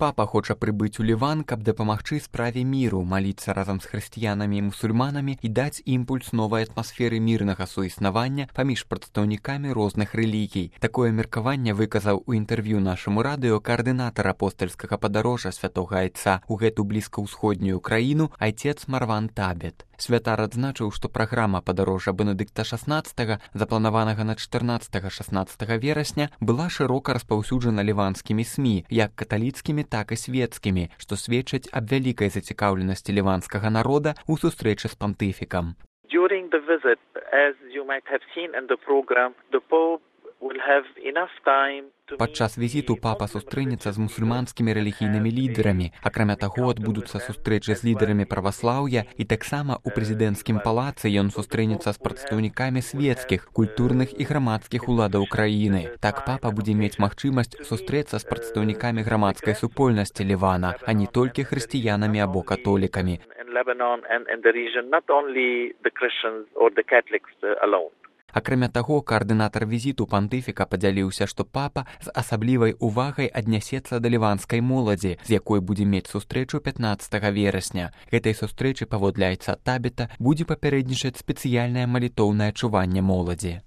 Папа хоча прыбыць у Ліван, каб дапамагчы справе міру, маліцца разам з хрысціянамі і мусульманамі і даць імпульс новай атмасферы мірнага суіснавання паміж прадстаўнікамі розных рэлігій. Такое меркаванне выказаў у інтэрв'ю нашаму радыё каардынатар апостальскага падарожжа святога айца ў гэту блізкаўсходнюю краіну айцец Марван Табет. Святар адзначыў, што праграма падарожжа Бенедыкта XVI, запланаванага на 14-16 верасня, была шырока распаўсюджана ліванскімі СМІ, як каталіцкімі, так і свецкімі, што сведчаць аб вялікай зацікаўленасці ліванскага народа ў сустрэчы з пантыфікам. During the visit, as you might have seen in the program, the Pope will have enough time. Падчас візіту папа сустрэнецца з мусульманскімі рэлігійнымі лідарамі. Акрамя таго, адбудуцца сустрэчы з лідарамі праваслаўя і таксама ў прэзідэнцкім палацы ён сустрэнецца з прадстаўнікамі свецкіх, культурных і грамадскіх уладаў краіны. Так папа будзе мець магчымасць сустрэцца з прадстаўнікамі грамадскай супольнасці Лівана, а не толькі хрысціянамі або католікамі. Акрамя таго, каардынатар візіту пантыфіка падзяліўся, што папа з асаблівай увагай аднясецца да ліванскай моладзі, з якой будзе мець сустрэчу 15 верасня. Гэтай сустрэчы, паводле айца Табета, будзе папярэднічаць спецыяльнае малітоўнае чуванне моладзі.